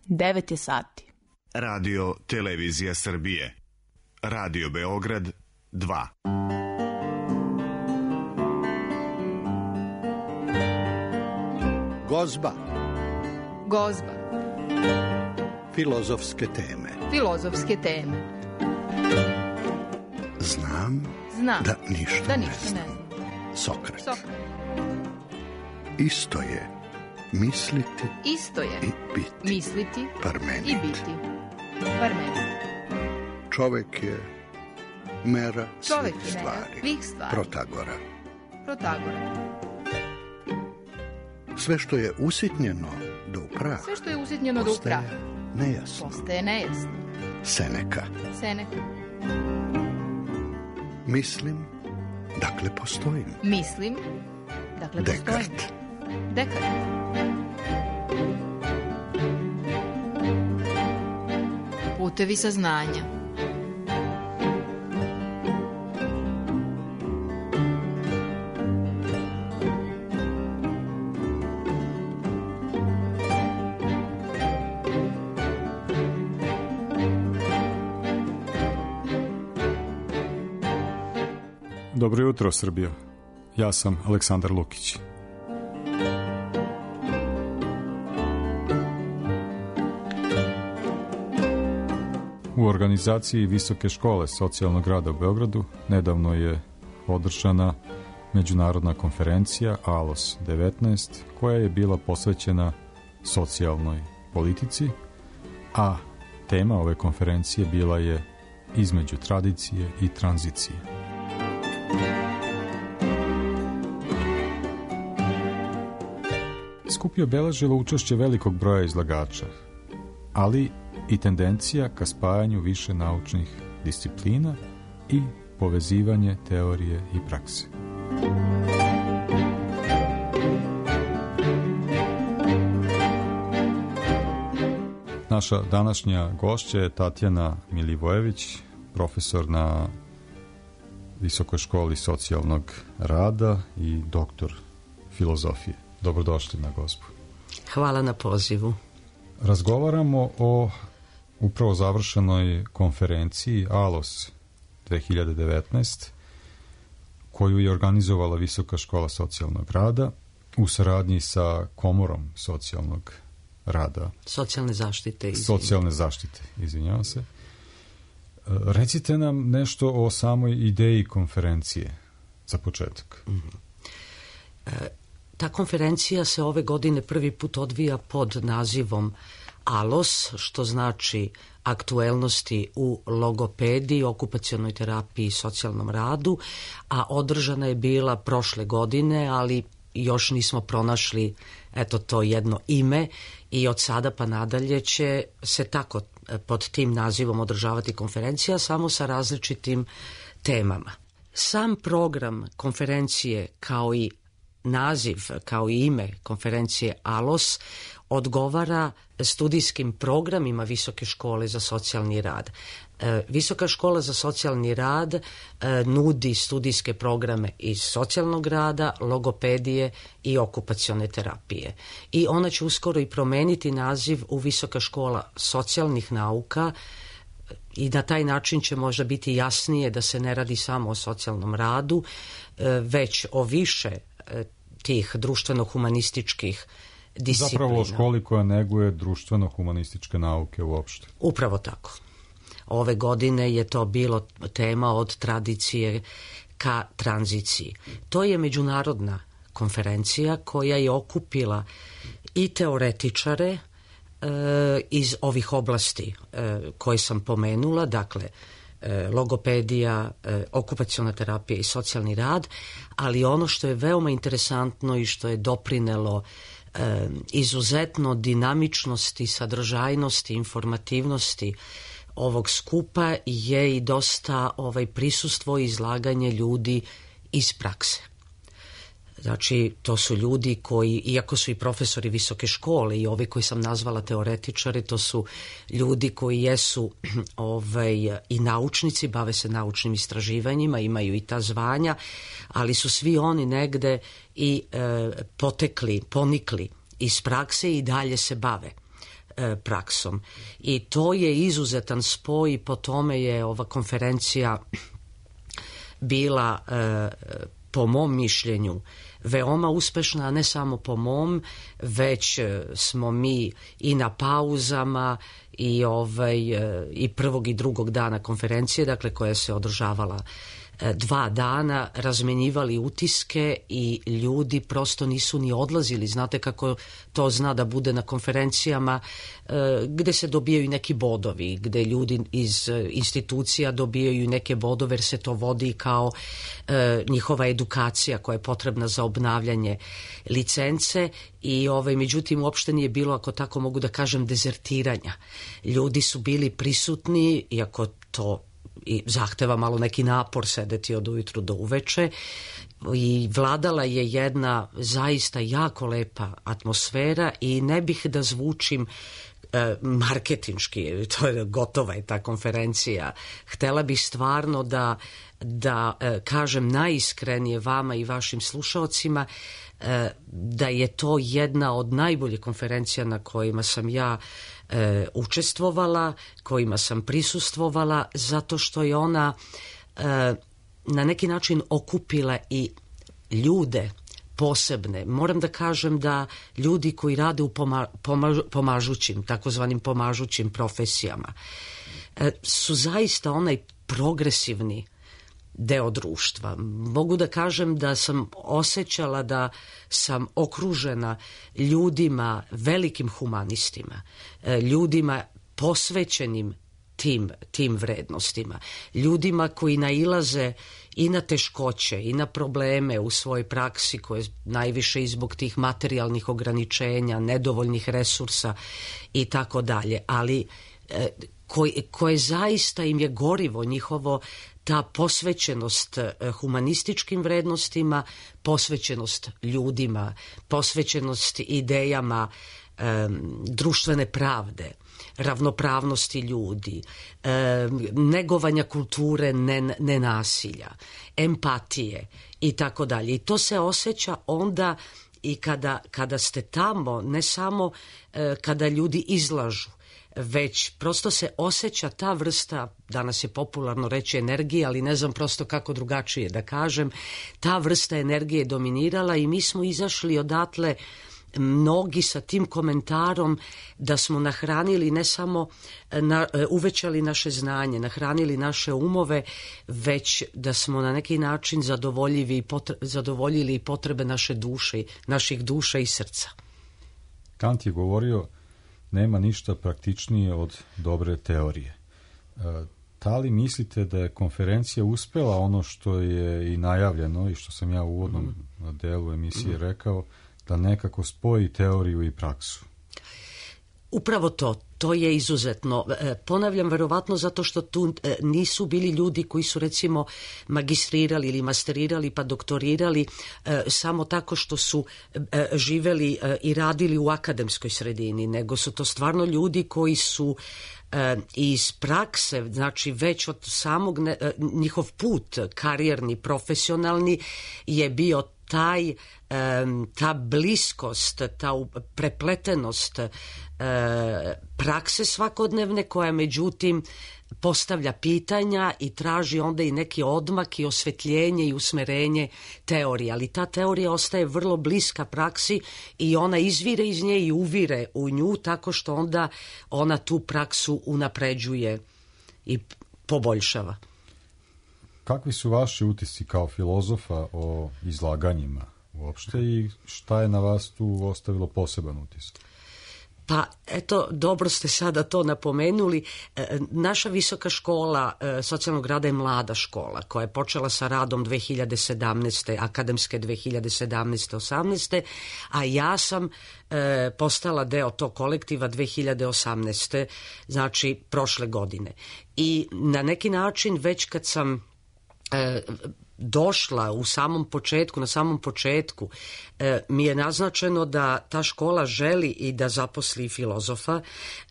9 je sati. Radio Televizija Srbije. Radio Beograd 2. Gozba. Gozba. Filozofske teme. Filozofske teme. Znam da ništa ne znam. Sokrat. Isto je misliti i biti. Misliti Parmenid. i biti. Parmenid. Čovek je mera svih stvari. Protagora. Sve što je usitnjeno do prah. Postaje nejasno. Seneka. Mislim, dakle postojim. Dekart. Putevi saznanja. Dobro jutro, Srbijo. Ja sam Aleksandar Lukić. U organizaciji Visoke škole socijalnog rada u Beogradu nedavno je održana međunarodna konferencija ALOS 19, koja je bila posvećena socijalnoj politici, a tema ove konferencije bila je između tradicije i tranzicije. Skup je obeležilo učešće velikog broja izlagača, ali i tendencija ka spajanju više naučnih disciplina i povezivanje teorije i prakse. Naša današnja gošća je Tatjana Milivojević, profesor na Visokoj školi socijalnog rada i doktor filozofije. Dobrodošli na Gozbu. Hvala na pozivu. Razgovaramo o upravo završenoj konferenciji ALOS 2019, koju je organizovala Visoka škola socijalnog rada u saradnji sa Komorom socijalnog rada. Socijalne zaštite, izvinjavam se. Recite nam nešto o samoj ideji konferencije za početak. Ta konferencija se ove godine prvi put odvija pod nazivom ALOS, što znači aktuelnosti u logopediji, okupacionoj terapiji i socijalnom radu, a održana je bila prošle godine, ali još nismo pronašli to jedno ime i od sada pa nadalje će se tako pod tim nazivom održavati konferencija, samo sa različitim temama. Sam program konferencije kao i naziv, kao i ime konferencije ALOS odgovara studijskim programima Visoke škole za socijalni rad. Visoka škola za socijalni rad nudi studijske programe iz socijalnog rada, logopedije i okupacione terapije. I ona će uskoro i promeniti naziv u Visoka škola socijalnih nauka i na taj način će možda biti jasnije da se ne radi samo o socijalnom radu, već o više tih društveno-humanističkih disciplina. Zapravo o školi koja neguje društveno-humanističke nauke uopšte. Upravo tako. Ove godine je to bilo tema od tradicije ka tranziciji. To je međunarodna konferencija koja je okupila i teoretičare iz ovih oblasti koje sam pomenula, dakle logopedija, okupaciona terapija i socijalni rad, ali ono što je veoma interesantno i što je doprinelo izuzetno dinamičnosti, sadržajnosti, informativnosti ovog skupa je i dosta prisustvo i izlaganje ljudi iz prakse. Znači, to su ljudi koji, iako su i profesori visoke škole i ovi koji sam nazvala teoretičari, to su ljudi koji jesu i naučnici, bave se naučnim istraživanjima, imaju i ta zvanja, ali su svi oni negde i ponikli iz prakse i dalje se bave praksom. I to je izuzetan spoj i po tome je ova konferencija bila po mom mišljenju veoma uspešna, a ne samo po mom, već smo mi i na pauzama i prvog i drugog dana konferencije, dakle koja se održavala 2 dana, razmenjivali utiske i ljudi prosto nisu ni odlazili. Znate kako to zna da bude na konferencijama gde se dobijaju neki bodovi, gde ljudi iz institucija dobijaju neke bodove jer se to vodi kao njihova edukacija koja je potrebna za obnavljanje licence i međutim uopšte nije bilo, ako tako mogu da kažem, dezertiranja. Ljudi su bili prisutni, iako to i zahteva malo neki napor sedeti od ujutru do uveče i vladala je jedna zaista jako lepa atmosfera i ne bih da zvučim marketinški, to je gotova je ta konferencija. Htela bih stvarno da kažem najiskrenije vama i vašim slušaocima da je to jedna od najboljih konferencija na kojima sam ja učestvovala, kojima sam prisustvovala, zato što je ona na neki način okupila i ljude posebne. Moram da kažem da ljudi koji rade u pomažućim, takozvanim pomažućim profesijama, su zaista onaj progresivni deo društva. Mogu da kažem da sam osjećala da sam okružena ljudima, velikim humanistima, ljudima posvećenim tim vrednostima, ljudima koji nailaze i na teškoće i na probleme u svojoj praksi koje najviše i zbog tih materijalnih ograničenja, nedovoljnih resursa i tako dalje, ali koje zaista im je gorivo njihovo, ta posvećenost humanističkim vrednostima, posvećenost ljudima, posvećenost idejama društvene pravde, ravnopravnosti ljudi, negovanja kulture nenasilja, empatije i tako dalje. I to se osjeća onda i kada ste tamo, ne samo kada ljudi izlažu, već prosto se osjeća ta vrsta, danas je popularno reći energije, ali ne znam prosto kako drugačije da kažem, ta vrsta energije je dominirala i mi smo izašli odatle mnogi sa tim komentarom da smo nahranili ne samo uvećali naše znanje, nahranili naše umove, već da smo na neki način zadovoljili i potrebe naše duše, naših duša i srca. Kant je govorio nema ništa praktičnije od dobre teorije. Da li mislite da je konferencija uspela ono što je i najavljeno i što sam ja u uvodnom delu emisije rekao, da nekako spoji teoriju i praksu? Upravo to je izuzetno. Ponavljam, verovatno zato što tu nisu bili ljudi koji su recimo magistrirali ili masterirali pa doktorirali samo tako što su živeli i radili u akademskoj sredini, nego su to stvarno ljudi koji su iz prakse, znači već od samog njihov put karijerni, profesionalni je bio ta bliskost, ta prepletenost prakse svakodnevne koja međutim postavlja pitanja i traži onda i neki odmak i osvetljenje i usmerenje teorije, ali ta teorija ostaje vrlo bliska praksi i ona izvire iz nje i uvire u nju tako što onda ona tu praksu unapređuje i poboljšava. Kakvi su vaši utisci kao filozofa o izlaganjima uopšte i šta je na vas tu ostavilo poseban utisak? Pa eto, dobro ste sada to napomenuli. Naša visoka škola socijalnog rada je mlada škola koja je počela sa radom 2017. akademske 2017-18. a ja sam postala deo tog kolektiva 2018. znači prošle godine. I na neki način već kad sam došla na samom početku mi je naznačeno da ta škola želi i da zaposli filozofa,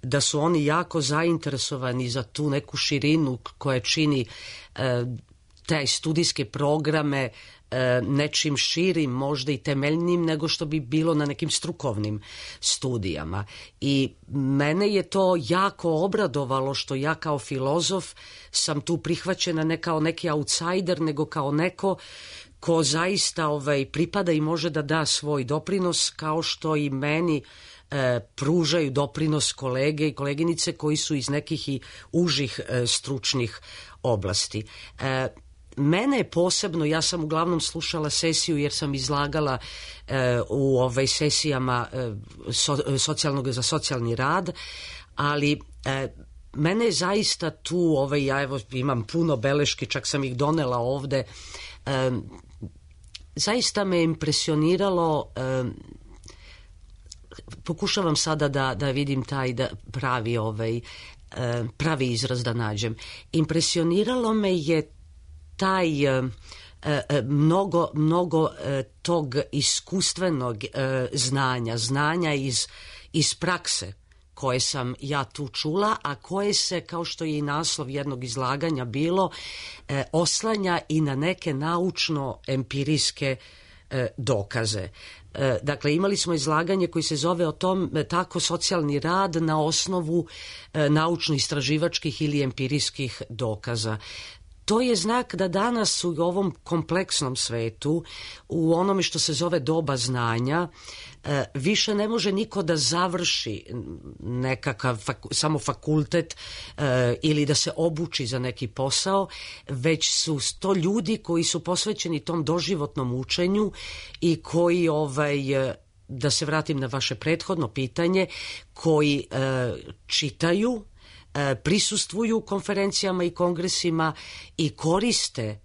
da su oni jako zainteresovani za tu neku širinu koja čini te studijske programe nečim širim, možda i temeljnim nego što bi bilo na nekim strukovnim studijama. I mene je to jako obradovalo što ja kao filozof sam tu prihvaćena ne kao neki outsider, nego kao neko ko zaista pripada i može da da svoj doprinos, kao što i meni pružaju doprinos kolege i koleginice koji su iz nekih i užih stručnih oblasti. Mene je posebno, ja sam uglavnom slušala sesiju jer sam izlagala u sesijama za socijalni rad, ali mene je zaista tu, ja evo imam puno beleški, čak sam ih donela ovde, zaista me impresioniralo, pokušavam sada da vidim taj pravi izraz da nađem. Impresioniralo me je taj mnogo tog iskustvenog znanja iz prakse koje sam ja tu čula, a koje se, kao što je i naslov jednog izlaganja bilo, oslanja i na neke naučno-empirijske dokaze. Dakle, imali smo izlaganje koji se zove o tom tako socijalni rad na osnovu naučno-istraživačkih ili empirijskih dokaza. To je znak da danas u ovom kompleksnom svetu, u onome što se zove doba znanja, više ne može niko da završi nekakav samo fakultet ili da se obuči za neki posao, već su to ljudi koji su posvećeni tom doživotnom učenju i koji, da se vratim na vaše prethodno pitanje, koji čitaju, prisustvuju konferencijama i kongresima i koriste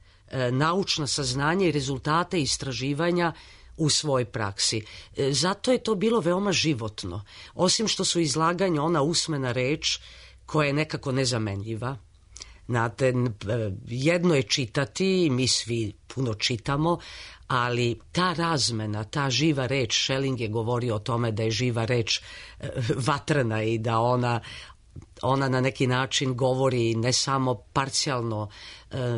naučna saznanja i rezultate istraživanja u svojoj praksi. Zato je to bilo veoma životno. Osim što su izlaganja ona usmena reč koja je nekako nezamenljiva. Znate, jedno je čitati, mi svi puno čitamo, ali ta razmena, ta živa reč, Schelling je govorio o tome da je živa reč vatrena i da ona na neki način govori ne samo parcijalno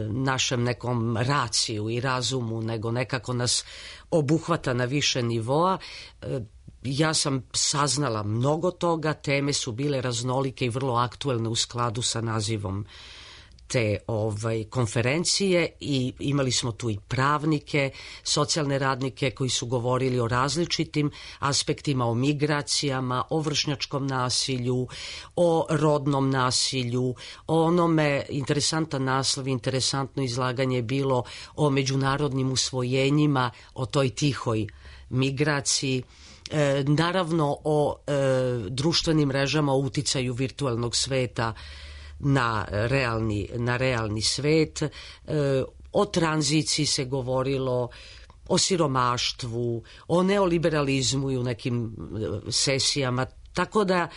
našem nekom raciju i razumu, nego nekako nas obuhvata na više nivoa. Ja sam saznala mnogo toga, teme su bile raznolike i vrlo aktuelne u skladu sa nazivom te konferencije i imali smo tu i pravnike, socijalne radnike koji su govorili o različitim aspektima, o migracijama, o vršnjačkom nasilju, o rodnom nasilju, o onome, interesantan naslov, interesantno izlaganje je bilo o međunarodnim usvojenjima, o toj tihoj migraciji, naravno o društvenim mrežama, o uticaju virtualnog sveta na realni svet, o tranziciji se govorilo, o siromaštvu, o neoliberalizmu i u nekim sesijama, tako da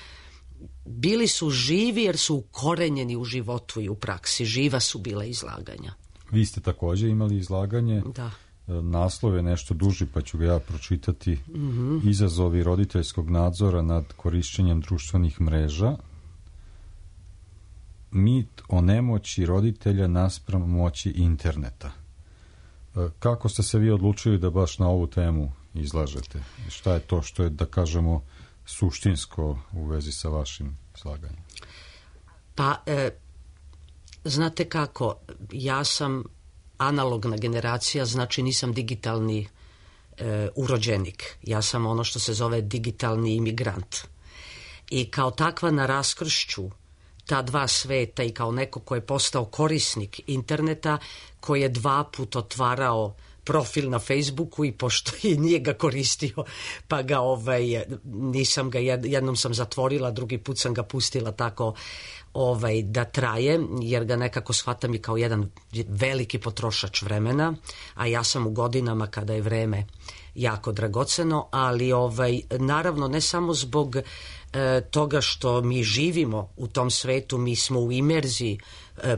bili su živi jer su ukorenjeni u životu i u praksi, živa su bila izlaganja. Vi ste također imali izlaganje, da. Naslov je nešto duži pa ću ga ja pročitati, Izazovi roditeljskog nadzora nad korišćenjem društvenih mreža, mit o nemoći roditelja naspram moći interneta. Kako ste se vi odlučili da baš na ovu temu izlažete? Šta je to što je, da kažemo, suštinsko u vezi sa vašim izlaganjem? Pa, znate kako, ja sam analogna generacija, znači nisam digitalni urođenik. Ja sam ono što se zove digitalni imigrant. I kao takva na raskršću ta dva sveta i kao neko ko je postao korisnik interneta, koji je 2 puta otvarao profil na Facebooku i pošto i nije ga koristio, pa ga nisam ga, jednom sam zatvorila, drugi put sam ga pustila tako da traje, jer ga nekako shvatam i kao jedan veliki potrošač vremena, a ja sam u godinama kada je vreme jako dragoceno, ali naravno ne samo zbog toga što mi živimo u tom svetu, mi smo u imerziji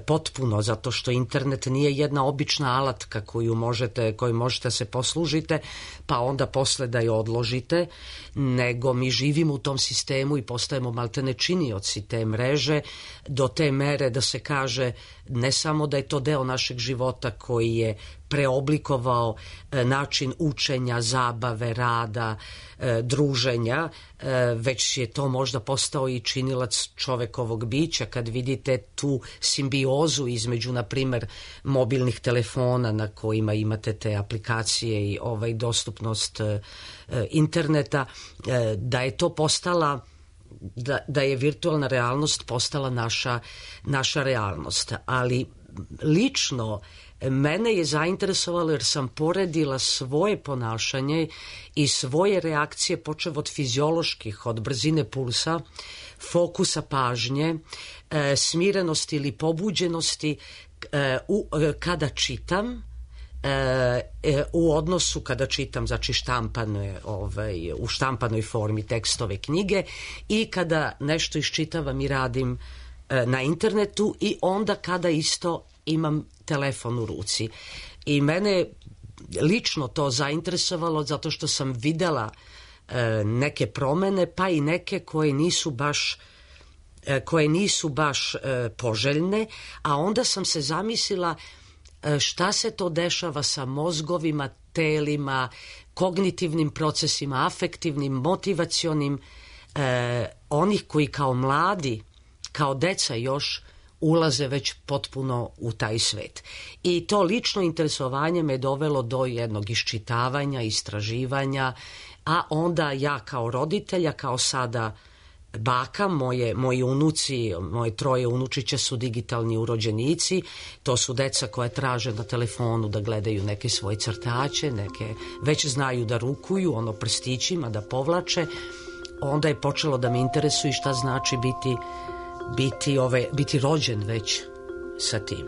potpuno, zato što internet nije jedna obična alatka koju možete se poslužite pa onda posle da je odložite, nego mi živimo u tom sistemu i postajemo maltene činioci te mreže, do te mere da se kaže ne samo da je to deo našeg života koji je preoblikovao način učenja, zabave, rada, druženja, već je to možda postao i činilac čovekovog bića. Kad vidite tu simbiozu između, na primer, mobilnih telefona na kojima imate te aplikacije i dostupnost interneta, da je to postala, da je virtualna realnost postala naša realnost. Ali lično mene je zainteresovalo jer sam poredila svoje ponašanje i svoje reakcije, počev od fizioloških, od brzine pulsa, fokusa pažnje, smirenosti ili pobuđenosti kada čitam, u odnosu kada čitam, znači u štampanoj formi tekstove knjige, i kada nešto iščitavam i radim na internetu, i onda kada isto imam telefon u ruci. I mene lično to zainteresovalo zato što sam videla neke promene, pa i neke koje nisu baš poželjne, a onda sam se zamislila šta se to dešava sa mozgovima, telima, kognitivnim procesima, afektivnim, motivacionim, onih koji kao mladi, kao deca još ulaze već potpuno u taj svet. I to lično interesovanje me dovelo do jednog iščitavanja, istraživanja, a onda ja kao roditelja, kao sada baka, moji unuci, moje 3 unučića su digitalni urođenici, to su deca koja traže na telefonu da gledaju neke svoje crtače, neke već znaju da rukuju, prstićima, da povlače. Onda je počelo da me interesuje šta znači biti rođen već sa tim.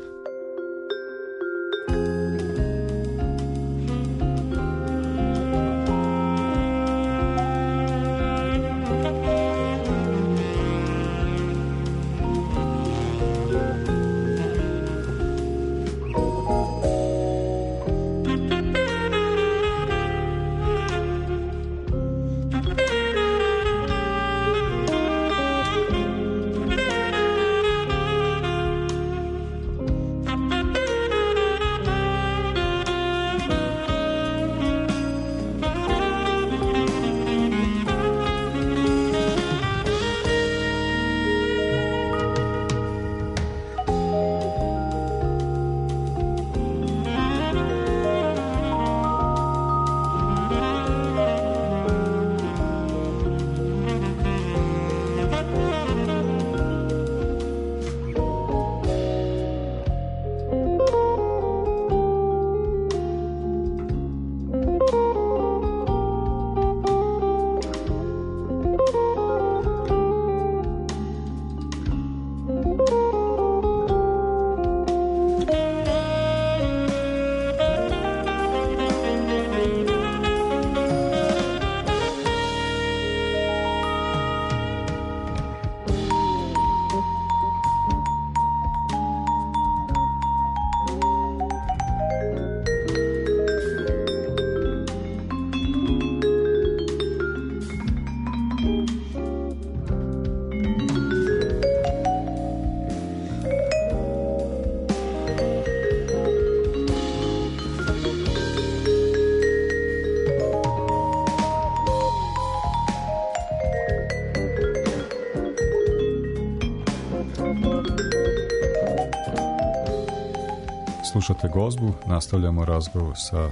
Slušate Gozbu, nastavljamo razgovor sa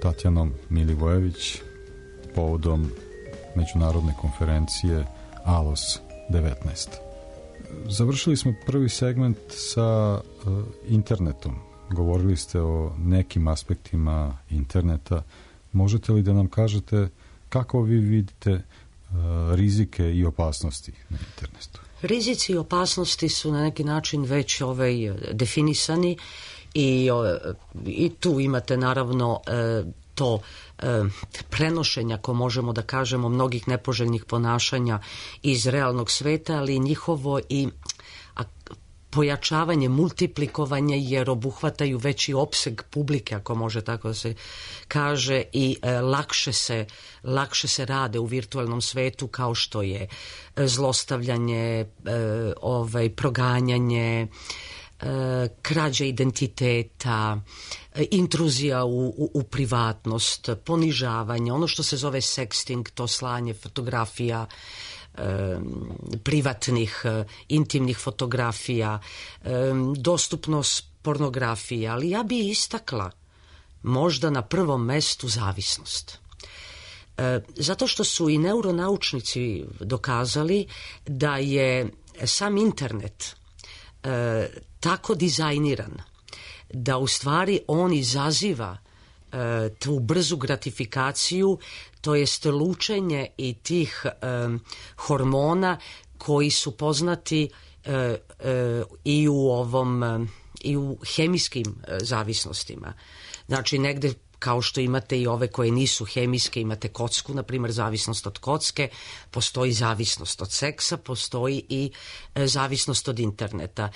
Tatjanom Milivojević povodom međunarodne konferencije ALOS 19. Završili smo prvi segment sa internetom. Govorili ste o nekim aspektima interneta. Možete li da nam kažete kako vi vidite rizike i opasnosti na internetu? Rizici i opasnosti su na neki način već definisani i tu imate naravno to prenošenja, ako možemo da kažemo, mnogih nepoželjnih ponašanja iz realnog sveta, ali njihovo i pojačavanje, multiplikovanje, jer obuhvataju veći opseg publike, ako može tako da se kaže, i lakše se rade u virtualnom svetu, kao što je zlostavljanje, proganjanje, krađa identiteta, intruzija u privatnost, ponižavanje, ono što se zove sexting, to slanje fotografija, privatnih, intimnih fotografija, dostupnost pornografije, ali ja bi istakla možda na prvom mestu zavisnost. Zato što su i neuronaučnici dokazali da je sam internet tako dizajniran da u stvari on izaziva tu brzu gratifikaciju, to jest lučenje i tih hormona koji su poznati i u hemijskim zavisnostima. Znači negde, kao što imate i ove koje nisu hemijske, imate kocku, na primjer zavisnost od kocke, postoji zavisnost od seksa, postoji i zavisnost od interneta.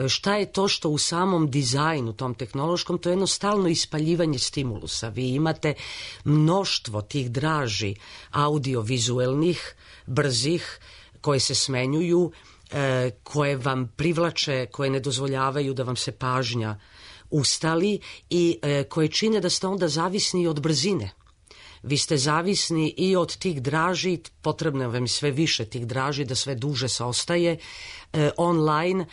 Šta je to što u samom dizajnu, tom tehnološkom, to je jedno stalno ispaljivanje stimulusa. Vi imate mnoštvo tih draži audiovizuelnih, brzih, koje se smenjuju, koje vam privlače, koje ne dozvoljavaju da vam se pažnja ustali i koje čine da ste onda zavisni od brzine. Vi ste zavisni i od tih draži, potrebno vam je sve više tih draži, da sve duže se ostaje online,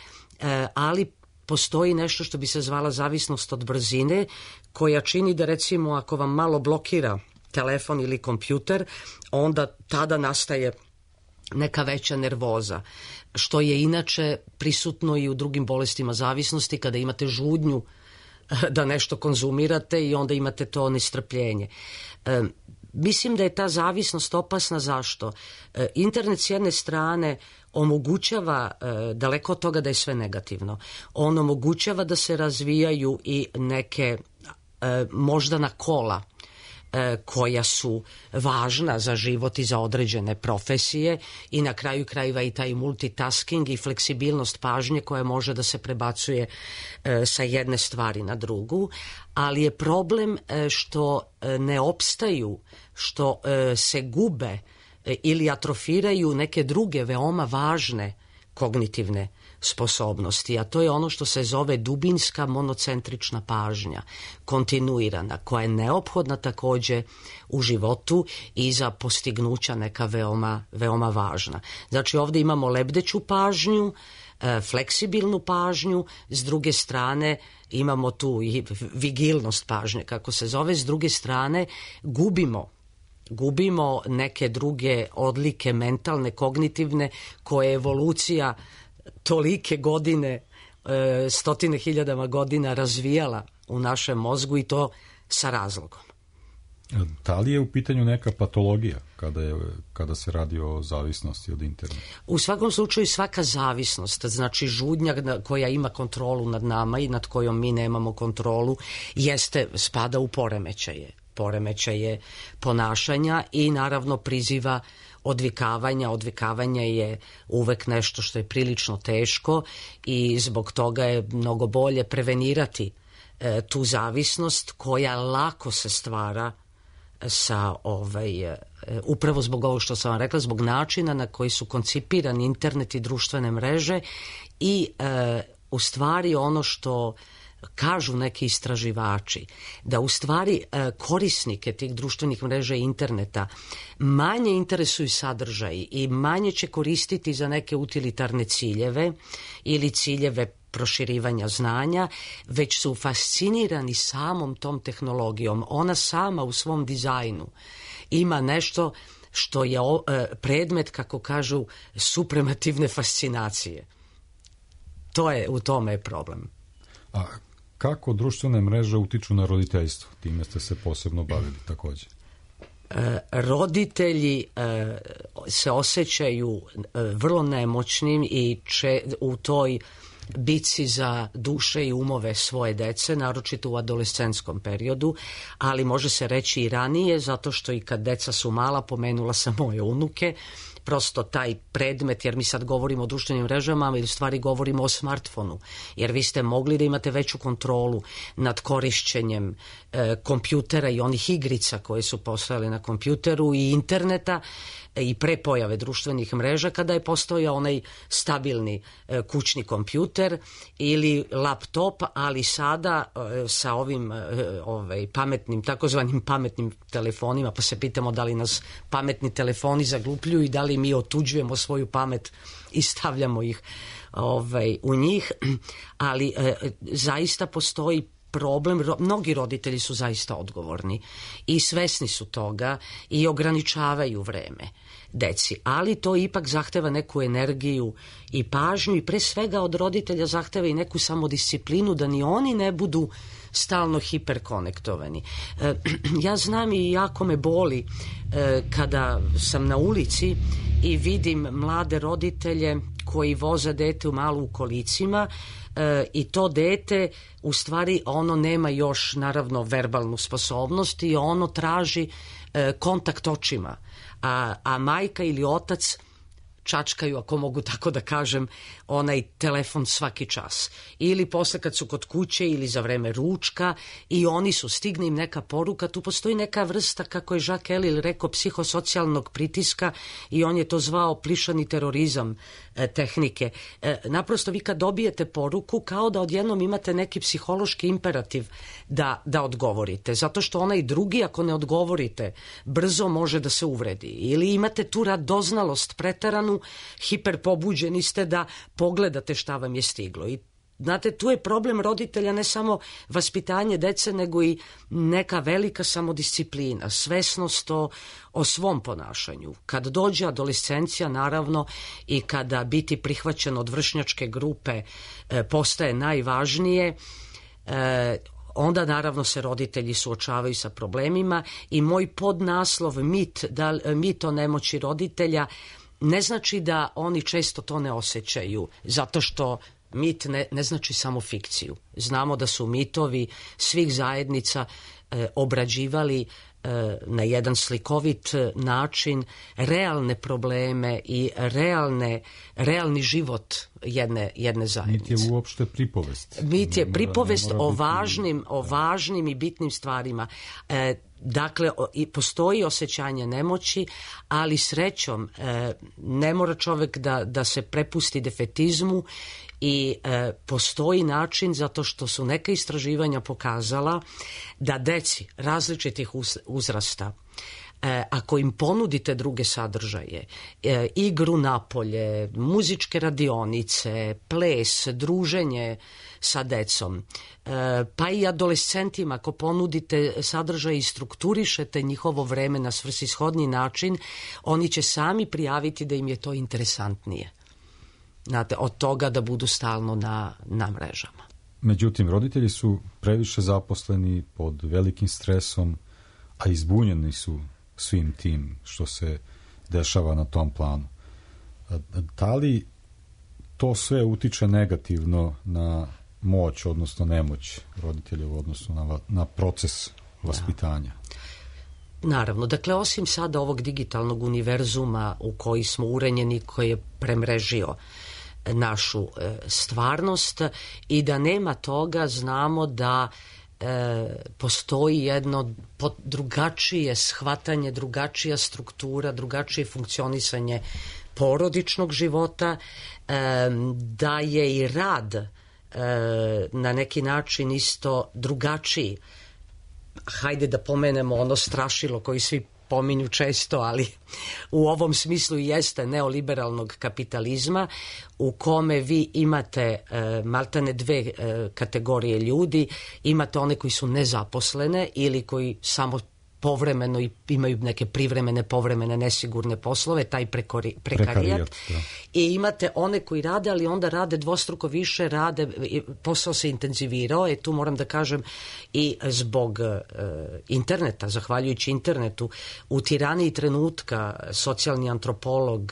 ali postoji nešto što bi se zvala zavisnost od brzine, koja čini da, recimo, ako vam malo blokira telefon ili kompjuter, onda tada nastaje neka veća nervoza, što je inače prisutno i u drugim bolestima zavisnosti, kada imate žudnju da nešto konzumirate i onda imate to nestrpljenje. Mislim da je ta zavisnost opasna. Zašto? Internet s jedne strane omogućava, daleko od toga da je sve negativno, on omogućava da se razvijaju i neke moždana kola koja su važna za život i za određene profesije, i na kraju krajeva i taj multitasking i fleksibilnost pažnje koja može da se prebacuje sa jedne stvari na drugu, ali je problem što ne opstaju, što se gube ili atrofiraju neke druge veoma važne kognitivne sposobnosti, a to je ono što se zove dubinska monocentrična pažnja, kontinuirana, koja je neophodna takođe u životu i za postignuća neka veoma važna. Znači ovdje imamo lebdeću pažnju, fleksibilnu pažnju, s druge strane imamo tu i vigilnost pažnje, kako se zove, s druge strane gubimo neke druge odlike mentalne, kognitivne, koje je evolucija tolike godine, stotine hiljadama godina razvijala u našem mozgu, i to sa razlogom. Da li je u pitanju neka patologija kada se radi o zavisnosti od interneta? U svakom slučaju svaka zavisnost, znači žudnja koja ima kontrolu nad nama i nad kojom mi nemamo kontrolu, spada u poremećaje ponašanja i naravno priziva odvikavanja. Odvikavanje je uvek nešto što je prilično teško i zbog toga je mnogo bolje prevenirati tu zavisnost koja lako se stvara sa upravo zbog ovo što sam vam rekla, zbog načina na koji su koncipirani internet i društvene mreže i u stvari ono što kažu neki istraživači, da u stvari korisnike tih društvenih mreža i interneta manje interesuju sadržaji i manje će koristiti za neke utilitarne ciljeve ili ciljeve proširivanja znanja, već su fascinirani samom tom tehnologijom. Ona sama u svom dizajnu ima nešto što je predmet, kako kažu, supremativne fascinacije. U tome je problem. A kako društvene mreže utiču na roditeljstvo? Time ste se posebno bavili takođe. Roditelji se osjećaju vrlo nemoćnim i u toj bici za duše i umove svoje dece, naročito u adolescentskom periodu, ali može se reći i ranije, zato što i kad deca su mala, pomenula sam moje unuke, prosto taj predmet, jer mi sad govorimo o društvenim mrežama, ali u stvari govorimo o smartfonu, jer vi ste mogli da imate veću kontrolu nad korišćenjem kompjutera i onih igrica koje su postojale na kompjuteru i interneta i pre pojave društvenih mreža, kada je postojao onaj stabilni kućni kompjuter ili laptop, ali sada sa ovim pametnim, takozvanim pametnim telefonima, pa se pitamo da li nas pametni telefoni zaglupljuju i da li mi otuđujemo svoju pamet i stavljamo ih u njih, ali zaista postoji problem, mnogi roditelji su zaista odgovorni i svesni su toga i ograničavaju vreme deci, ali to ipak zahteva neku energiju i pažnju i pre svega od roditelja zahteva i neku samodisciplinu da ni oni ne budu stalno hiperkonektovani. Ja znam i jako me boli kada sam na ulici i vidim mlade roditelje koji voze dete u malu u kolicima i to dete u stvari ono nema još naravno verbalnu sposobnost i ono traži kontakt očima, a majka ili otac čačkaju, ako mogu tako da kažem, onaj telefon svaki čas. Ili posle kad su kod kuće ili za vreme ručka i oni su, stigne im neka poruka, tu postoji neka vrsta, kako je Jacques Ellul rekao, psihosocijalnog pritiska i on je to zvao plišani terorizam tehnike. Naprosto vi kad dobijete poruku, kao da odjednom imate neki psihološki imperativ da odgovorite, zato što onaj drugi, ako ne odgovorite, brzo može da se uvredi. Ili imate tu radoznalost preteranu, hiperpobuđeni ste da pogledate šta vam je stiglo. I znate, tu je problem roditelja ne samo vaspitanje dece, nego i neka velika samodisciplina, svesnost o svom ponašanju. Kad dođe adolescencija, naravno, i kada biti prihvaćen od vršnjačke grupe postaje najvažnije, onda naravno se roditelji suočavaju sa problemima i moj podnaslov mit o nemoći roditelja ne znači da oni često to ne osjećaju, zato što mit ne znači samo fikciju. Znamo da su mitovi svih zajednica obrađivali na jedan slikovit način realne probleme i realni život jedne zajednice. Mit je uopšte pripovest. Mit je pripovest o važnim i bitnim stvarima. Dakle, postoji osjećanje nemoći, ali srećom ne mora čovek da se prepusti defetizmu i postoji način, zato što su neka istraživanja pokazala da deci različitih uzrasta, ako im ponudite druge sadržaje, igru napolje, muzičke radionice, ples, druženje sa decom, pa i adolescentima, ako ponudite sadržaj i strukturišete njihovo vreme na svrsishodni način, oni će sami prijaviti da im je to interesantnije. Znate, od toga da budu stalno na mrežama. Međutim, roditelji su previše zaposleni pod velikim stresom, a izbunjeni su svim tim što se dešava na tom planu. Da li to sve utiče negativno na moć, odnosno nemoć roditelja u odnosu na proces vaspitanja? Naravno, dakle, osim sada ovog digitalnog univerzuma u koji smo urenjeni, koji je premrežio našu stvarnost i da nema toga, znamo da postoji jedno drugačije shvatanje, drugačija struktura, drugačije funkcionisanje porodičnog života, da je i rad na neki način isto drugačiji. Hajde da pomenemo ono strašilo koji svi pominju često, ali u ovom smislu jeste neoliberalnog kapitalizma u kome vi imate maltene dve kategorije ljudi. Imate one koji su nezaposlene ili koji samo povremeno i imaju neke privremene, povremene, nesigurne poslove, taj prekarijat. I imate one koji rade, ali onda rade dvostruko više, posao se intenzivirao, tu moram da kažem i zbog interneta, zahvaljujući internetu, u tiraniji trenutka socijalni antropolog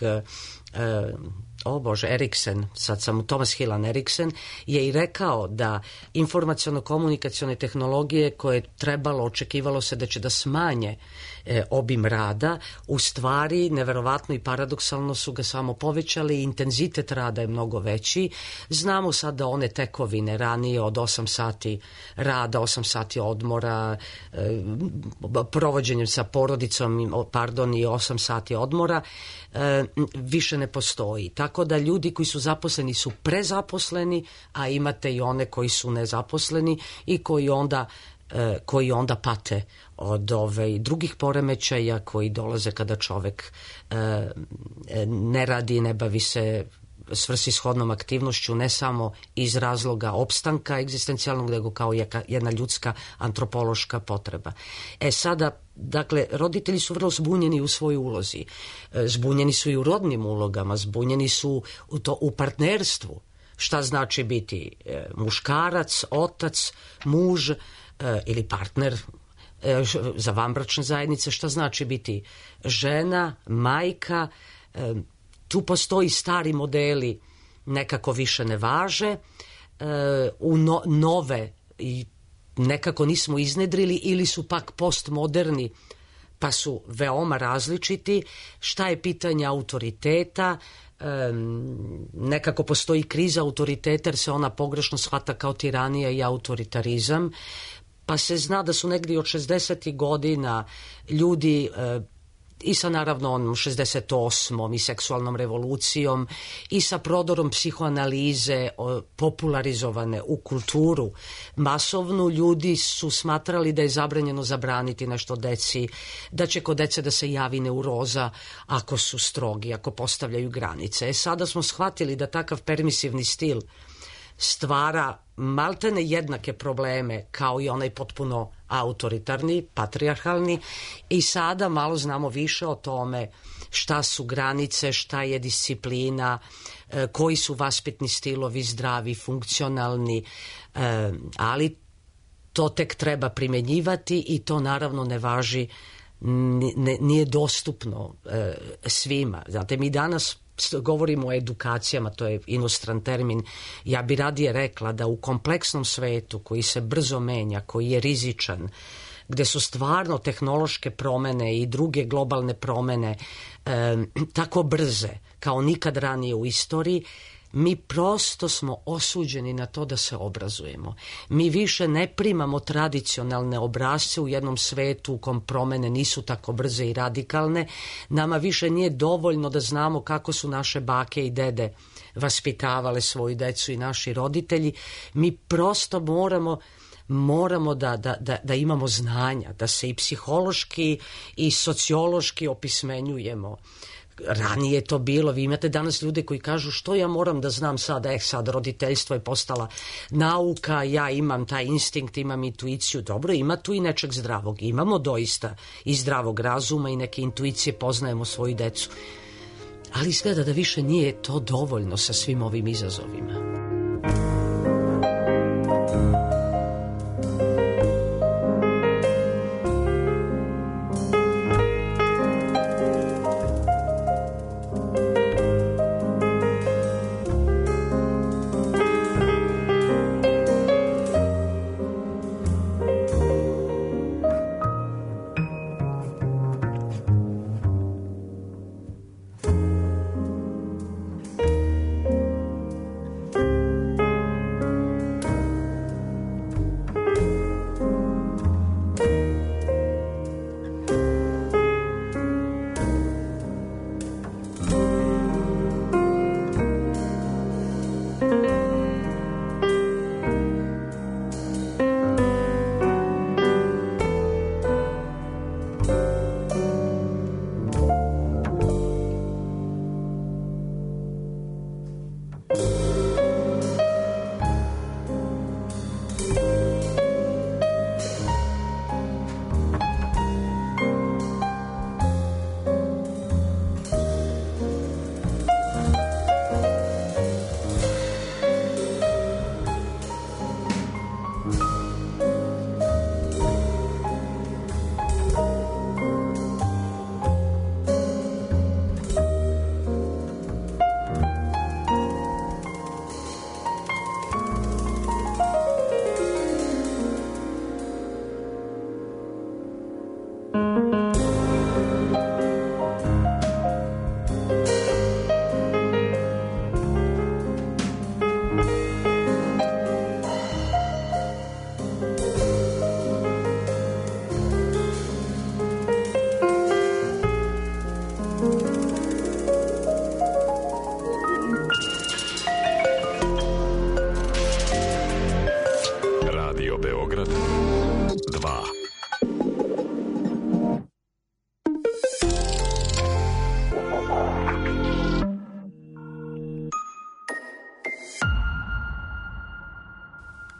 Eriksen, sad sam Thomas Hillan Eriksen, je i rekao da informaciono-komunikacione tehnologije koje trebalo, očekivalo se da će da smanje obim rada, u stvari neverovatno i paradoksalno su ga samo povećali, intenzitet rada je mnogo veći. Znamo sad da one tekovine ranije od 8 sati rada, 8 sati odmora, provođenjem sa porodicom, i 8 sati odmora, više ne postoji. Tako da ljudi koji su zaposleni su prezaposleni, a imate i one koji su nezaposleni i koji onda pate od drugih poremećaja koji dolaze kada čovek ne radi, ne bavi se svrsishodnom aktivnošću, ne samo iz razloga opstanka egzistencijalnog, nego kao jedna ljudska antropološka potreba. Sada, dakle, roditelji su vrlo zbunjeni u svojoj ulozi. Zbunjeni su i u rodnim ulogama, zbunjeni su u partnerstvu. Šta znači biti muškarac, otac, muž ili partner za vanbračne zajednice, šta znači biti žena, majka. Tu postoji stari modeli, nekako više ne važe, u nove i nekako nismo iznedrili ili su pak postmoderni pa su veoma različiti. Šta je pitanje autoriteta? Nekako postoji kriza autoriteta jer se ona pogrešno shvata kao tiranija i autoritarizam, pa se zna da su negdje od 60. godina ljudi i sa naravno onom 68. i seksualnom revolucijom i sa prodorom psihoanalize popularizovane u kulturu masovnu, ljudi su smatrali da je zabranjeno zabraniti nešto deci, da će kod dece da se javi neuroza ako su strogi, ako postavljaju granice. Sada smo shvatili da takav permisivni stil stvara maltene jednake probleme kao i onaj potpuno autoritarni, patrijarhalni, i sada malo znamo više o tome šta su granice, šta je disciplina, koji su vaspitni stilovi zdravi, funkcionalni, ali to tek treba primenjivati i to naravno ne važi, nije dostupno svima. Znate, mi danas govorimo o edukacijama, to je inostran termin. Ja bi radije rekla da u kompleksnom svetu koji se brzo menja, koji je rizičan, gde su stvarno tehnološke promene i druge globalne promene tako brze kao nikad ranije u istoriji, mi prosto smo osuđeni na to da se obrazujemo. Mi više ne primamo tradicionalne obrasce u jednom svetu u kom promene nisu tako brze i radikalne. Nama više nije dovoljno da znamo kako su naše bake i dede vaspitavale svoju decu i naši roditelji. Mi prosto moramo da imamo znanja, da se i psihološki i sociološki opismenjujemo. Ranije je to bilo, vi imate danas ljude koji kažu što ja moram da znam sada, sad roditeljstvo je postala nauka, ja imam taj instinkt, imam intuiciju. Dobro, ima tu i nečeg zdravog, imamo doista i zdravog razuma i neke intuicije, poznajemo svoju decu, ali izgleda da više nije to dovoljno sa svim ovim izazovima.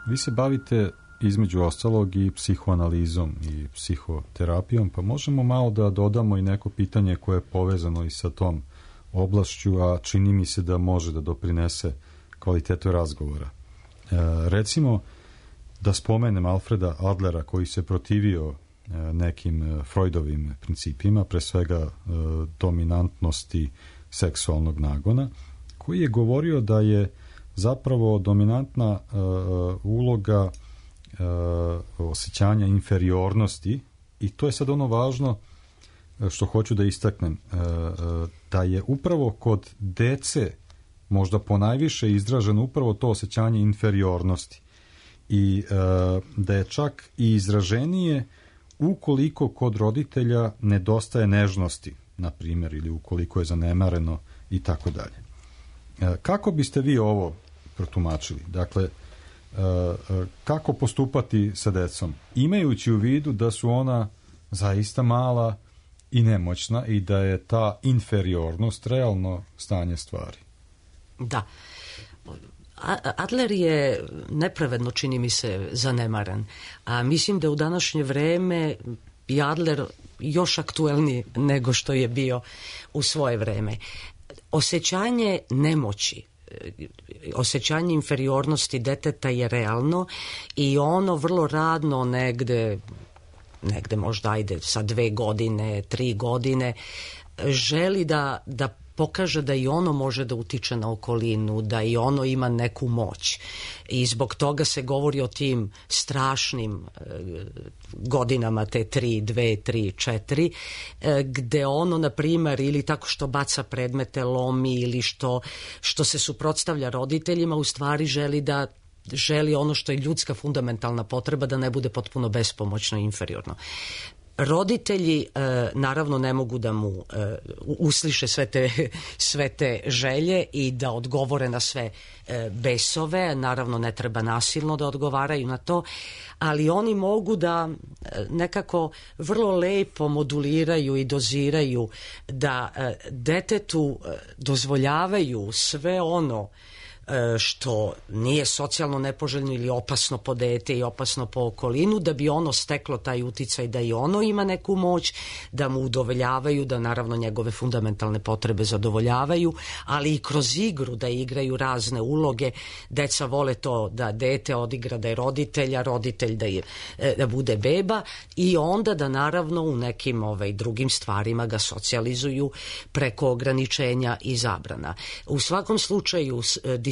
Vi se bavite između ostalog i psihoanalizom i psihoterapijom, pa možemo malo da dodamo i neko pitanje koje je povezano i sa tom oblašću, a čini mi se da može da doprinese kvalitetu razgovora. Recimo, da spomenem Alfreda Adlera koji se protivio nekim Freudovim principima, pre svega dominantnosti seksualnog nagona, koji je govorio da je zapravo dominantna uloga osjećanja inferiornosti, i to je sad ono važno što hoću da istaknem, da je upravo kod dece možda ponajviše izraženo upravo to osjećanje inferiornosti i da je čak i izraženije ukoliko kod roditelja nedostaje nežnosti, na primjer, ili ukoliko je zanemareno i tako dalje. Kako biste vi ovo protumačili? Dakle, kako postupati sa decom, imajući u vidu da su ona zaista mala i nemoćna i da je ta inferiornost realno stanje stvari? Da. Adler je nepravedno, čini mi se, zanemaren. A mislim da u današnje vreme je Adler još aktuelniji nego što je bio u svoje vreme. Osjećanje nemoći, osjećanje inferiornosti deteta je realno i ono vrlo radno negde možda sa 2 godine, 3 godine, želi da pokaže da i ono može da utiče na okolinu, da i ono ima neku moć. I zbog toga se govori o tim strašnim godinama, te 3, 2, 3, 4, gde ono, na primer, ili tako što baca predmete, lomi, ili što se suprotstavlja roditeljima, u stvari želi ono što je ljudska fundamentalna potreba, da ne bude potpuno bespomoćno i inferiorno. Roditelji naravno ne mogu da mu usliše sve te želje i da odgovore na sve besove, naravno ne treba nasilno da odgovaraju na to, ali oni mogu da nekako vrlo lepo moduliraju i doziraju, da detetu dozvoljavaju sve ono što nije socijalno nepoželjno ili opasno po dete i opasno po okolinu, da bi ono steklo taj uticaj da i ono ima neku moć, da mu udovoljavaju, da naravno njegove fundamentalne potrebe zadovoljavaju, ali i kroz igru da igraju razne uloge. Deca vole to da dete odigra da je roditelj, a roditelj da bude beba, i onda da naravno u nekim drugim stvarima ga socijalizuju preko ograničenja i zabrana. U svakom slučaju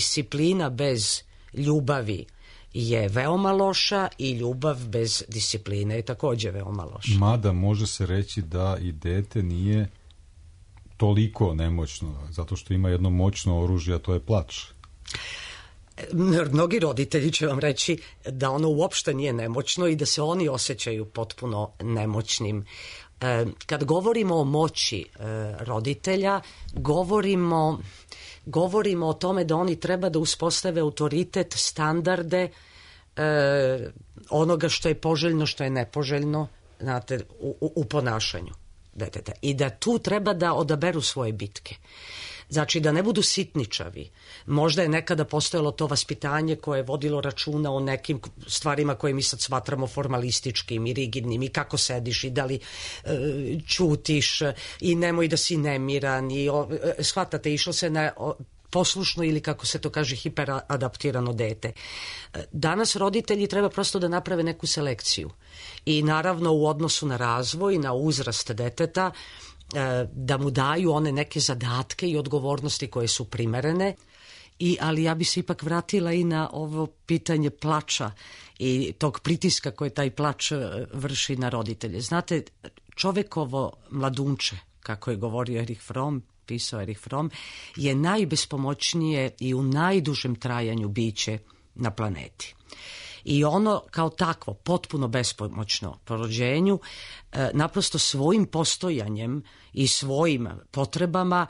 disciplina bez ljubavi je veoma loša i ljubav bez discipline je također veoma loša. Mada može se reći da i dete nije toliko nemoćno, zato što ima jedno moćno oružje, a to je plač. Mnogi roditelji će vam reći da ono uopšte nije nemoćno i da se oni osjećaju potpuno nemoćnim. Kad govorimo o moći roditelja, govorimo o tome da oni treba da uspostave autoritet, standarde onoga što je poželjno, što je nepoželjno, znate, u ponašanju deteta. I da tu treba da odaberu svoje bitke. Znači da ne budu sitničavi. Možda je nekada postojalo to vaspitanje koje je vodilo računa o nekim stvarima koje mi sad smatramo formalističkim i rigidnim, i kako sediš i da li ćutiš i nemoj da si nemiran i shvatate, išlo se na poslušno ili, kako se to kaže, hiperadaptirano dete. Danas roditelji treba prosto da naprave neku selekciju i naravno u odnosu na razvoj, na uzrast deteta, da mu daju one neke zadatke i odgovornosti koje su primerene. Ali ja bi se ipak vratila i na ovo pitanje plača i tog pritiska koje taj plač vrši na roditelje. Znate, čovekovo mladunče, kako je govorio Erich Fromm, pisao Erich Fromm, je najbespomoćnije i u najdužem trajanju biće na planeti. I ono kao takvo, potpuno bespomoćno po rođenju, naprosto svojim postojanjem i svojim potrebama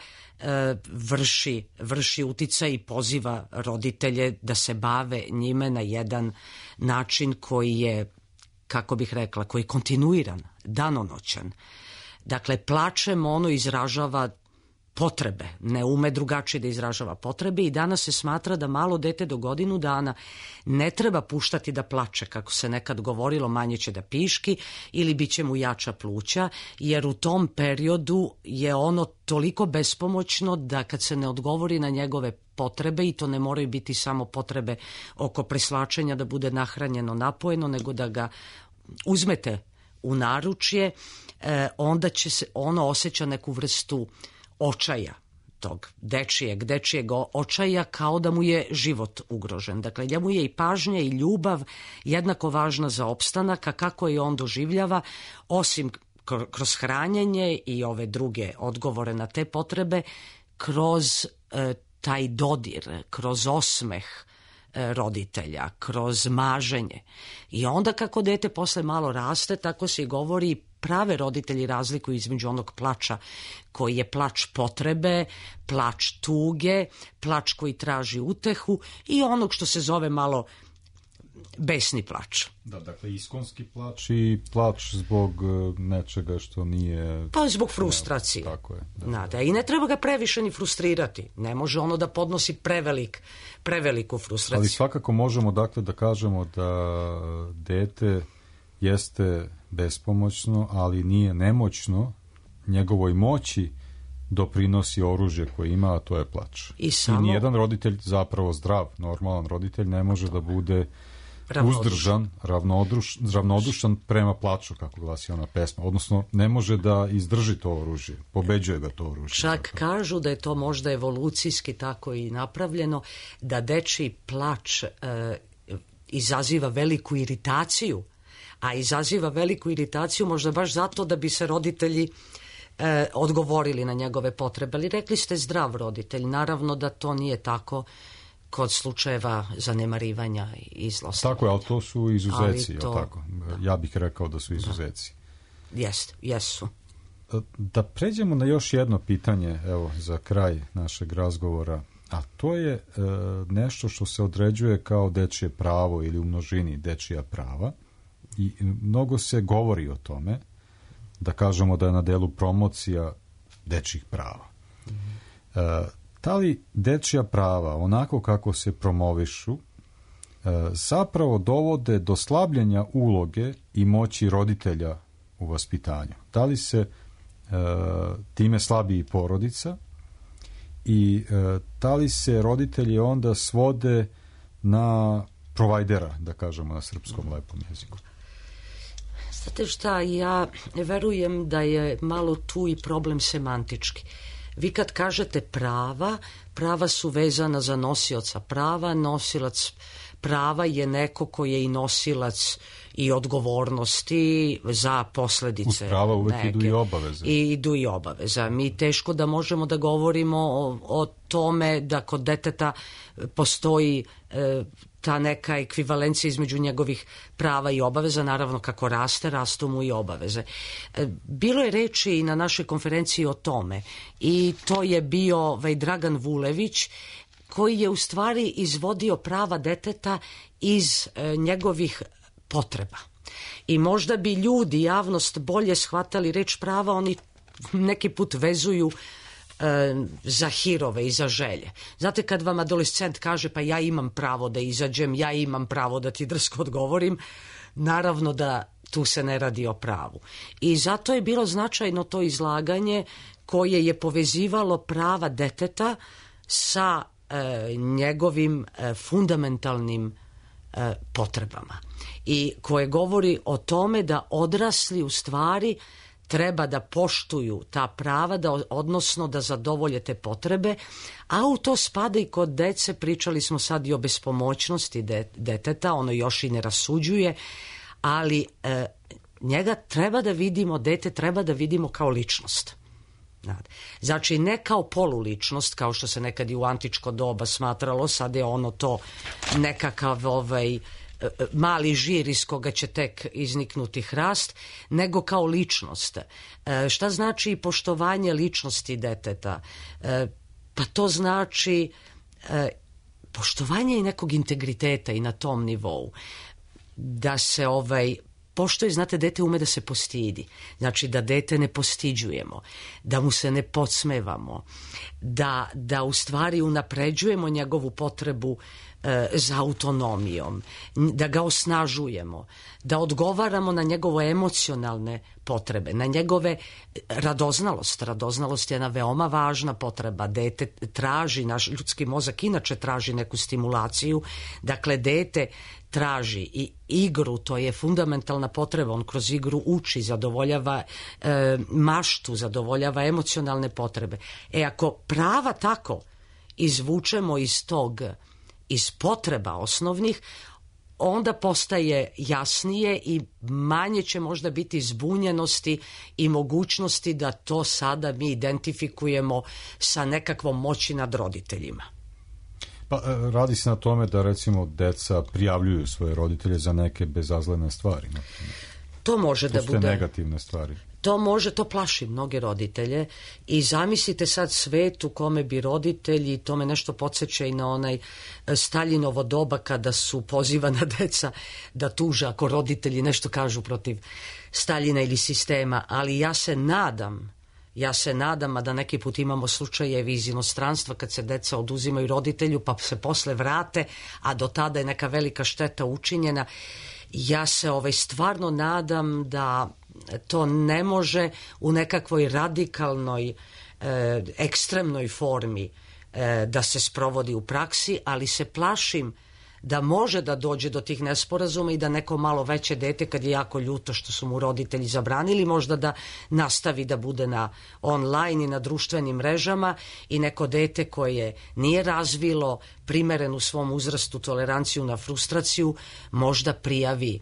vrši uticaj i poziva roditelje da se bave njime na jedan način koji je, kako bih rekla, koji je kontinuiran, danonoćan. Dakle, plačem ono izražava potrebe, ne ume drugačije da izražava potrebe i danas se smatra da malo dete do godinu dana ne treba puštati da plače, kako se nekad govorilo, manje će da piški ili bit će mu jača pluća, jer u tom periodu je ono toliko bespomoćno da kad se ne odgovori na njegove potrebe, i to ne moraju biti samo potrebe oko preslačenja da bude nahranjeno, napojeno, nego da ga uzmete u naručje, onda će se ono osjeća neku vrstu očaja, tog dečijeg očaja, kao da mu je život ugrožen. Dakle, njemu je i pažnja i ljubav jednako važna za opstanak, a kako je on doživljava, osim kroz hranjenje i ove druge odgovore na te potrebe, kroz taj dodir, kroz osmeh roditelja, kroz maženje. I onda kako dete posle malo raste, tako se i govori, prave roditelji razlikuju između onog plača koji je plač potrebe, plač tuge, plač koji traži utehu i onog što se zove malo besni plač. Da, dakle, iskonski plač i plač zbog nečega što nije... Pa zbog frustracije. Tako je. Da. I ne treba ga previše ni frustrirati. Ne može ono da podnosi preveliku frustraciju. Ali svakako možemo dakle da kažemo da dete jeste bespomoćno, ali nije nemoćno. Njegovoj moći doprinosi oružje koje ima, a to je plač. I nijedan roditelj, zapravo zdrav, normalan roditelj, ne može da bude uzdržan, ravnodušan prema plaču, kako glasi ona pesma. Odnosno, ne može da izdrži to oružje. Pobeđuje ga to oružje. Čak kažu da je to možda evolucijski tako i napravljeno, da dečiji plač izaziva veliku iritaciju, a izaziva veliku iritaciju možda baš zato da bi se roditelji odgovorili na njegove potrebe. Ali rekli ste zdrav roditelj. Naravno da to nije tako kod slučajeva zanemarivanja i zlostavljanja. Tako je, ali to su izuzeci. Tako? Ja bih rekao da su izuzeci. Jesu. Da pređemo na još jedno pitanje, evo, za kraj našeg razgovora, a to je nešto što se određuje kao dečije pravo ili u množini dečija prava. I mnogo se govori o tome, da kažemo da je na delu promocija dečjih prava. Da li dečja prava, onako kako se promovišu, zapravo dovode do slabljenja uloge i moći roditelja u vaspitanju? Da li se time slabi i porodica i da li se roditelji onda svode na provajdera, da kažemo na srpskom lepom jeziku? Znate šta, ja verujem da je malo tu i problem semantički. Vi kad kažete prava su vezana za nosioca prava, nosilac prava je neko koji je i nosilac i odgovornosti za posledice. Uz prava uvek idu i obaveze. I idu i obaveze. Mi teško da možemo da govorimo o tome da kod deteta postoji ta neka ekvivalencija između njegovih prava i obaveza. Naravno, kako rastu mu i obaveze. Bilo je reči i na našoj konferenciji o tome i to je bio Dragan Vulević, koji je u stvari izvodio prava deteta iz njegovih potreba. I možda bi ljudi, javnost, bolje shvatali reč prava, oni neki put vezuju za hirove i za želje. Znate, kad vam adolescent kaže pa ja imam pravo da izađem, ja imam pravo da ti drsko odgovorim, naravno da tu se ne radi o pravu. I zato je bilo značajno to izlaganje koje je povezivalo prava deteta sa njegovim fundamentalnim potrebama i koje govori o tome da odrasli u stvari treba da poštuju ta prava, odnosno da zadovolje te potrebe, a u to spada i kod dece. Pričali smo sad i o bespomoćnosti deteta, ono još i ne rasuđuje, ali njega treba da vidimo, dete treba da vidimo kao ličnost. Znači, ne kao poluličnost, kao što se nekad i u antičko doba smatralo, sad je ono to nekakav mali žir iz koga će tek izniknuti hrast, nego kao ličnost. Šta znači poštovanje ličnosti deteta? Pa to znači poštovanje i nekog integriteta i na tom nivou. Da se pošto je, znate, dete ume da se postidi. Znači da dete ne postiđujemo, da mu se ne podsmevamo, da u stvari unapređujemo njegovu potrebu za autonomijom, da ga osnažujemo, da odgovaramo na njegove emocionalne potrebe, na njegove radoznalost. Radoznalost je jedna veoma važna potreba. Dete traži, naš ljudski mozak inače traži neku stimulaciju, dakle dete traži i igru, to je fundamentalna potreba, on kroz igru uči, zadovoljava maštu, zadovoljava emocionalne potrebe. Ako prava tako izvučemo iz potreba osnovnih, onda postaje jasnije i manje će možda biti zbunjenosti i mogućnosti da to sada mi identifikujemo sa nekakvom moći nad roditeljima. Pa radi se na tome da recimo deca prijavljuju svoje roditelje za neke bezazlene stvari. To može da bude negativne stvari. To plaši mnoge roditelje i zamislite sad svet u kome bi roditelji, to me nešto podsjeća i na onaj Staljinovo doba kada su pozivana deca da tuže ako roditelji nešto kažu protiv Staljina ili sistema, ali ja se nadam, a da neki put imamo slučajevi iz inostranstva kad se deca oduzimaju roditelju pa se posle vrate, a do tada je neka velika šteta učinjena. Ja se stvarno nadam da to ne može u nekakvoj radikalnoj, ekstremnoj formi da se sprovodi u praksi, ali se plašim da može da dođe do tih nesporazuma i da neko malo veće dete, kad je jako ljuto što su mu roditelji zabranili, možda da nastavi da bude na online i na društvenim mrežama, i neko dete koje nije razvilo primerenu svom uzrastu toleranciju na frustraciju možda prijavi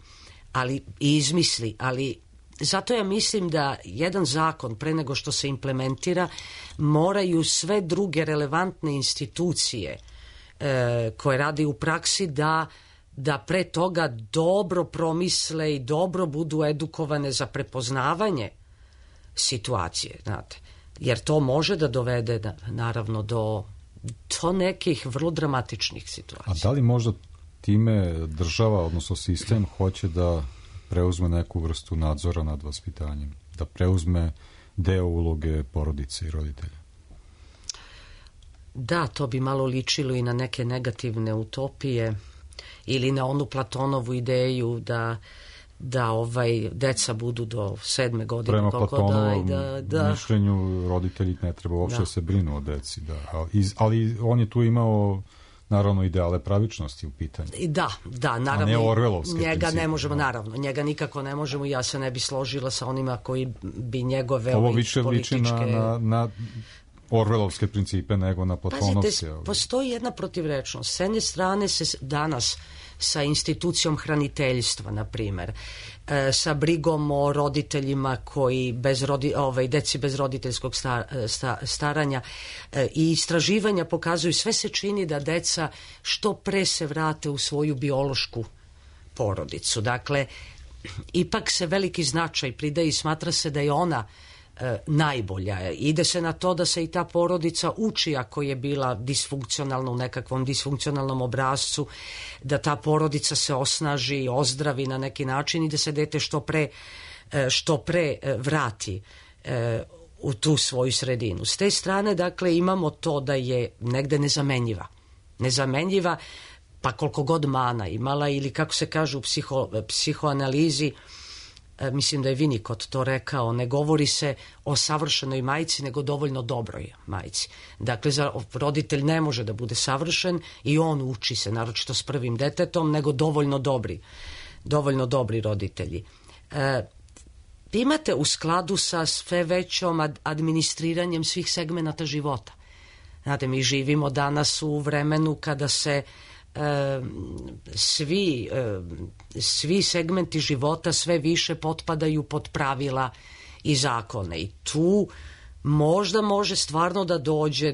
i izmisli, ali zato ja mislim da jedan zakon pre nego što se implementira moraju sve druge relevantne institucije koje radi u praksi da pre toga dobro promisle i dobro budu edukovane za prepoznavanje situacije, znate. Jer to može da dovede naravno do nekih vrlo dramatičnih situacija. A da li možda time država, odnosno sistem, hoće da preuzme neku vrstu nadzora nad vaspitanjem, da preuzme deo uloge porodice i roditelja? Da, to bi malo ličilo i na neke negativne utopije ili na onu Platonovu ideju da deca budu do 7. godine. Prema Platonovom mišljenju roditelji ne treba uopšte se brinu o deci. Ali on je tu imao naravno ideale pravičnosti u pitanju. Da, naravno. A ne orvelovske njega principe. Ne možemo, naravno. Njega nikako ne možemo, ja se ne bi složila sa onima koji bi njegove ovo više liči na orvelovske principe nego na platonovske. Pazite, postoji jedna protivrečnost. S jedne strane se danas sa institucijom hraniteljstva, na primer, sa brigom o roditeljima koji deci bez roditeljskog staranja i istraživanja pokazuju, sve se čini da deca što pre se vrate u svoju biološku porodicu. Dakle, ipak se veliki značaj pridaje i smatra se da je ona najbolja. Ide se na to da se i ta porodica uči, ako je bila disfunkcionalna u nekakvom disfunkcionalnom obrascu, da ta porodica se osnaži, ozdravi na neki način i da se dete što pre vrati u tu svoju sredinu. S te strane, dakle, imamo to da je negde nezamenjiva, pa koliko god mana imala, ili kako se kaže u psihoanalizi, mislim da je Winnicott to rekao, ne govori se o savršenoj majci, nego dovoljno dobroj majci. Dakle, roditelj ne može da bude savršen i on uči se, naročito s prvim detetom, nego dovoljno dobri roditelji. Imate u skladu sa sve većom administriranjem svih segmenata života. Znate, mi živimo danas u vremenu kada se svi segmenti života sve više potpadaju pod pravila i zakone, i tu možda može stvarno da dođe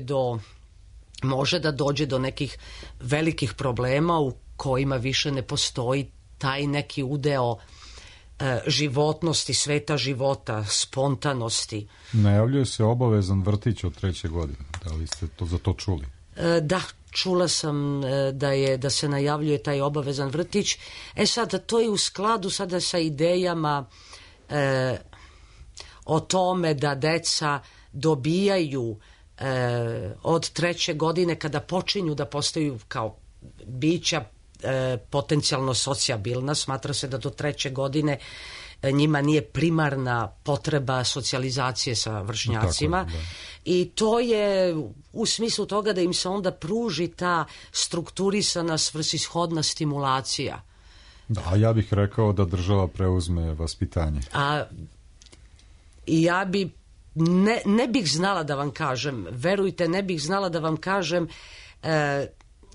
do nekih velikih problema u kojima više ne postoji taj neki udeo životnosti, sveta života, spontanosti. Najavljuje se obavezan vrtić od 3. godine. Da li ste za to čuli? Da, čula sam da se najavljuje taj obavezan vrtić. Sad, to je u skladu sada sa idejama o tome da deca dobijaju od 3. godine, kada počinju da postaju kao bića potencijalno socijabilna, smatra se da do 3. godine njima nije primarna potreba socijalizacije sa vršnjacima. Tako, i to je u smislu toga da im se onda pruži ta strukturisana svrsishodna stimulacija. Da, ja bih rekao da država preuzme vaspitanje. I ja bi ne bih znala da vam kažem, verujte, ne bih znala da vam kažem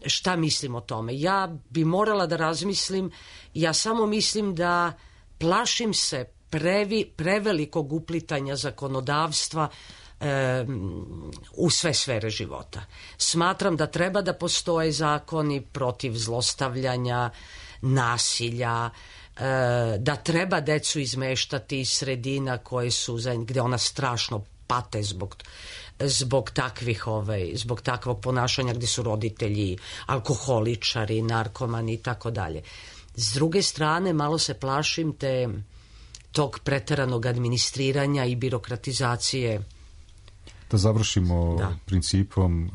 šta mislim o tome. Ja bi morala da razmislim, ja samo mislim da plašim se prevelikog uplitanja zakonodavstva u sve sfere života. Smatram da treba da postoje zakoni protiv zlostavljanja, nasilja, da treba decu izmeštati iz sredina koje su, gde ona strašno pate zbog takvog ponašanja, gde su roditelji alkoholičari, narkomani i tako dalje. S druge strane, malo se plašim tog preteranog administriranja i birokratizacije. Da završimo principom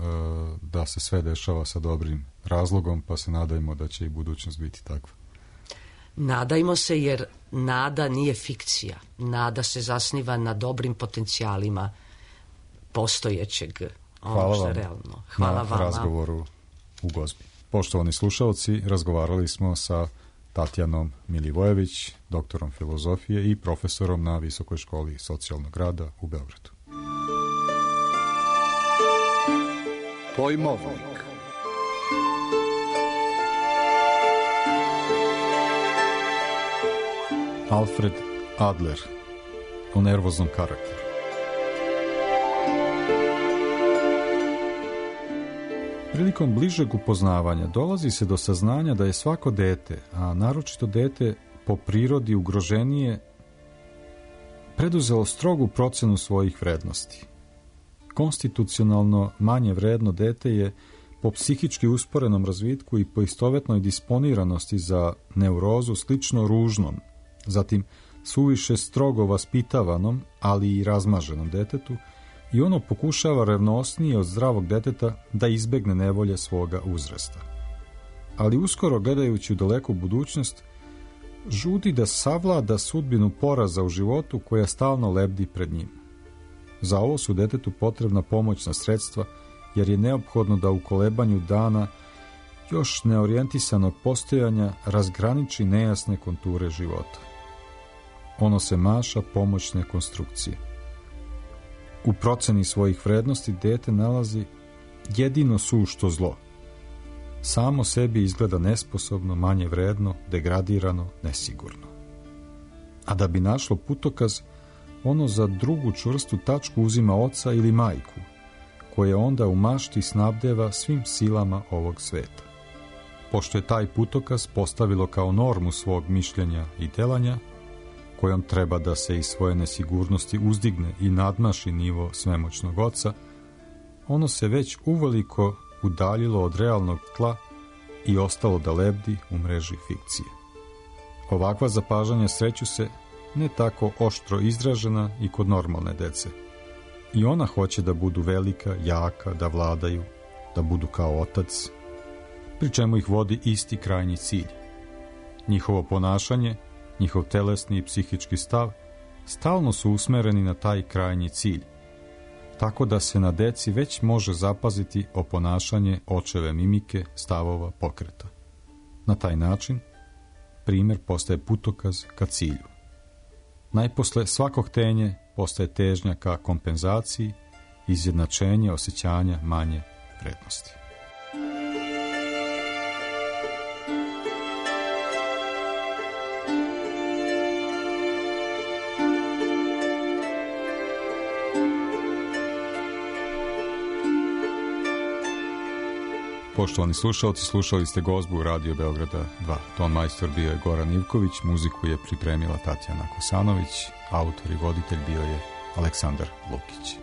da se sve dešava sa dobrim razlogom, pa se nadajmo da će i budućnost biti takva. Nadajmo se, jer nada nije fikcija. Nada se zasniva na dobrim potencijalima postojećeg. Hvala vam realno. na razgovoru u Gozbi. Poštovani slušalci, razgovarali smo sa Tatjanom Milivojević, doktorom filozofije i profesorom na Visokoj školi socijalnog rada u Beogradu. Pojmovnik. Alfred Adler o nervoznom karakteru. Prilikom bližeg upoznavanja dolazi se do saznanja da je svako dete, a naročito dete po prirodi ugroženije, preduzelo strogu procenu svojih vrednosti. Konstitucionalno manje vredno dete je po psihički usporenom razvitku i po istovetnoj disponiranosti za neurozu slično ružnom, zatim suviše strogo vaspitavanom, ali i razmaženom detetu, i ono pokušava revnosnije od zdravog deteta da izbegne nevolje svoga uzrasta. Ali uskoro, gledajući u daleku budućnost, žudi da savlada sudbinu poraza u životu koja stalno lebdi pred njim. Za ovo su detetu potrebna pomoćna sredstva, jer je neophodno da u kolebanju dana još neorijentisanog postojanja razgraniči nejasne konture života. Ono se maša pomoćne konstrukcije. U proceni svojih vrednosti dete nalazi jedino sušto zlo. Samo sebi izgleda nesposobno, manje vredno, degradirano, nesigurno. A da bi našlo putokaz, ono za drugu čvrstu tačku uzima oca ili majku, koje onda u mašti snabdeva svim silama ovog sveta. Pošto je taj putokaz postavilo kao normu svog mišljenja i delanja, kojom treba da se iz svoje nesigurnosti uzdigne i nadmaši nivo svemoćnog oca, ono se već uveliko udaljilo od realnog tla i ostalo da lebdi u mreži fikcije. Ovakva zapažanja sreću se ne tako oštro izražena i kod normalne dece. I ona hoće da budu velika, jaka, da vladaju, da budu kao otac, pri čemu ih vodi isti krajnji cilj. Njihovo ponašanje, njihov telesni i psihički stav stalno su usmereni na taj krajnji cilj, tako da se na deci već može zapaziti oponašanje očeve mimike, stavova, pokreta. Na taj način primjer postaje putokaz ka cilju. Najposle svako htenje postaje težnja ka kompenzaciji, izjednačenje osjećanja manje vrednosti. Poštovani slušalci, slušali ste Gozbu u Radio Beograda 2. Ton majstor bio je Goran Ivković, muziku je pripremila Tatjana Kosanović, autor i voditelj bio je Aleksandar Lukić.